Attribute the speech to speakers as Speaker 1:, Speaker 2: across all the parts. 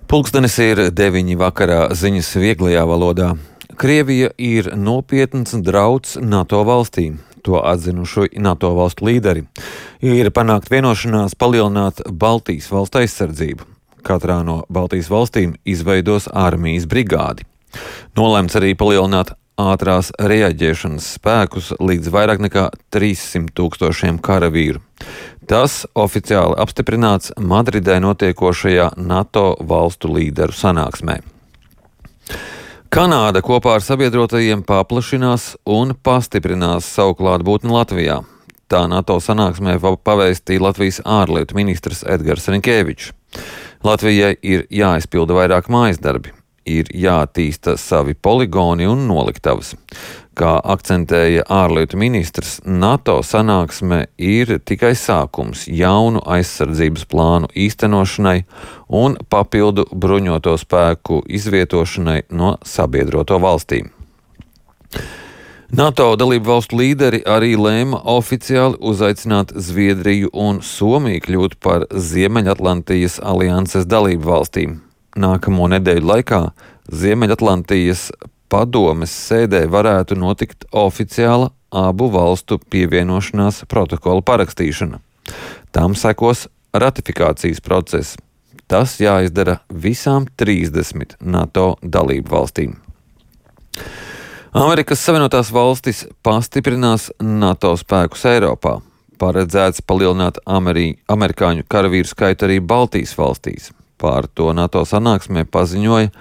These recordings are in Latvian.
Speaker 1: Pulkstenis ir 9 vakarā, ziņas vieglajā valodā. Krievija ir nopietns drauds NATO valstīm. To atzinuši NATO valstu līderi. Ir panākt vienošanās palielināt Baltijas valstu aizsardzību. Katrā no Baltijas valstīm izveidos armijas brigādi. Nolemts arī palielināt ātrās reaģēšanas spēkus līdz vairāk nekā 300,000 karavīru. Tas oficiāli apstiprināts Madridē notiekošajā NATO valstu līderu sanāksmē. Kanāda kopā ar sabiedrotajiem paplašinās un pastiprinās savu klātbūtni Latvijā. Tā NATO sanāksmē pavēstīja Latvijas ārlietu ministrs Edgars Rinkēvičs. Latvijai ir jāizpilda vairāk mājasdarbi, ir jāattīsta savi poligoni un noliktavas. Kā akcentēja ārlietu ministrs, NATO sanāksme ir tikai sākums jaunu aizsardzības plānu īstenošanai un papildu bruņoto spēku izvietošanai no sabiedroto valstīm. NATO dalību valstu līderi arī lēma oficiāli uzaicināt Zviedriju un Somiju kļūt par Ziemeļatlantijas alianses dalību valstīm. Nākamo nedēļu laikā Ziemeļatlantijas padomes sēdē varētu notikt oficiāla abu valstu pievienošanās protokola parakstīšana. Tam sekos ratifikācijas process. Tas jāizdara visām 30 NATO dalību valstīm. Amerikas Savienotās valstis pastiprinās NATO spēkus Eiropā. Paredzēts palielināt amerikāņu karavīru skaitu arī Baltijas valstīs. Par to NATO sanāksmē paziņoja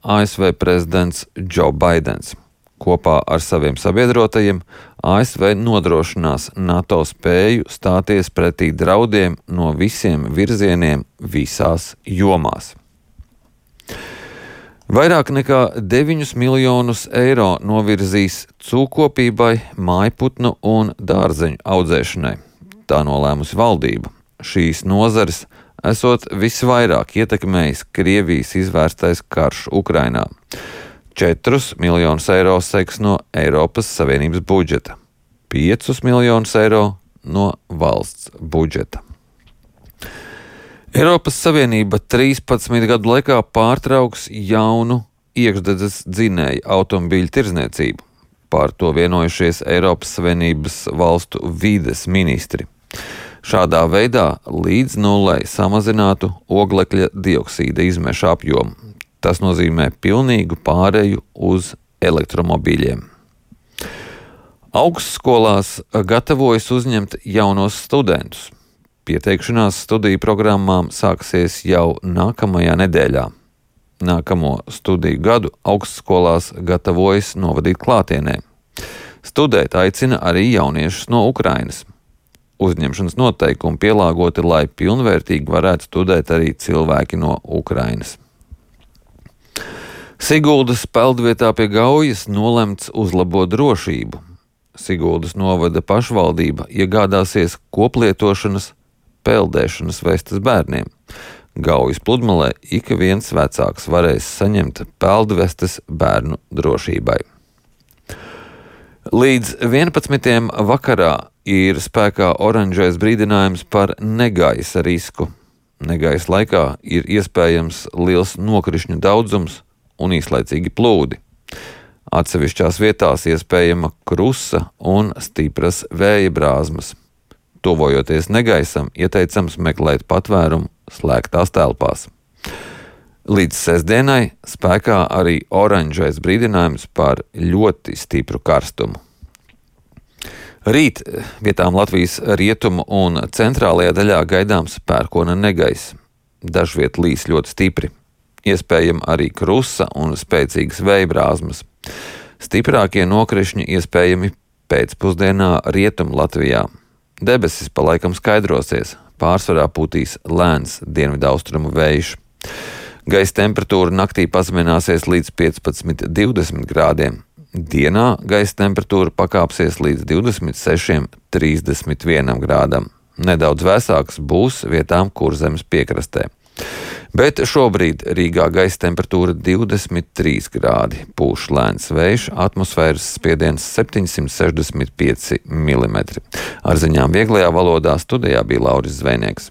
Speaker 1: ASV prezidents Joe Baidens. Kopā ar saviem sabiedrotajiem ASV nodrošinās NATO spēju stāties pretī draudiem no visiem virzieniem visās jomās. Vairāk nekā 9 miljonus eiro novirzīs cūkopībai, mājputnu un dārzeņu audzēšanai. Tā nolēmusi valdība. Šīs nozares esot visvairāk ietekmējis Krievijas izvērstais karš Ukrainā. 4 miljonus eiro seks no Eiropas Savienības budžeta, 5 miljonus eiro no valsts budžeta. Eiropas Savienība 13 gadu laikā pārtrauks jaunu iekšdedzes dzinēju automobīļu tirdzniecību. Par to vienojušies Eiropas Savienības valstu vides ministri. Šādā veidā līdz nullei samazinātu oglekļa dioksīda izmešu apjomu. Tas nozīmē pilnīgu pāreju uz elektromobīļiem. Augstskolās gatavojas uzņemt jaunos studentus. Pieteikšanās studiju programmām sāksies jau nākamajā nedēļā. Nākamo studiju gadu augstskolās gatavojas novadīt klātienē. Studēt aicina arī jauniešus no Ukrainas. Uzņemšanas noteikumi pielāgoti, lai pilnvērtīgi varētu studēt arī cilvēki no Ukrainas. Siguldas peldvietā pie Gaujas nolemts uzlabot drošību. Siguldas novada pašvaldība iegādāsies koplietošanas peldēšanas vestes bērniem. Gaujas pludmalē ik viens vecāks varēs saņemt peldvestes bērnu drošībai. Līdz 11. vakarā ir spēkā oranžais brīdinājums par negaisa risku. Negaisa laikā ir iespējams liels nokrišņu daudzums un īslaicīgi plūdi. Atsevišķās vietās iespējama krusa un stipras vēja brāzmas. Tuvojoties negaisam, ieteicams meklēt patvērumu slēgtās telpās. Līdz sestdienai spēkā arī oranžais brīdinājums par ļoti stipru karstumu. Rīt vietām Latvijas rietumu un centrālajā daļā gaidāms pērkona negaiss. Dažviet līs ļoti stipri. Iespējama arī krusa un spēcīgas vēja brāzmas. Stiprākie nokrišņi iespējami pēcpusdienā rietumu Latvijā. Debesis pa laikam skaidrosies, pārsvarā pūtīs lēns dienvidaustrumu vējš. Gaisa temperatūra naktī pazemināsies līdz 15–20 grādiem. Dienā gaisa temperatūra pakāpsies līdz 26–31 grādam. Nedaudz vēsāks būs vietām Kurzemes piekrastē. Bet šobrīd Rīgā gaisa temperatūra 23 grādi, pūš lēns vējš, atmosfēras spiediens 765 mm. Ar ziņām vieglajā valodā studijā bija Lauris Zvejnieks.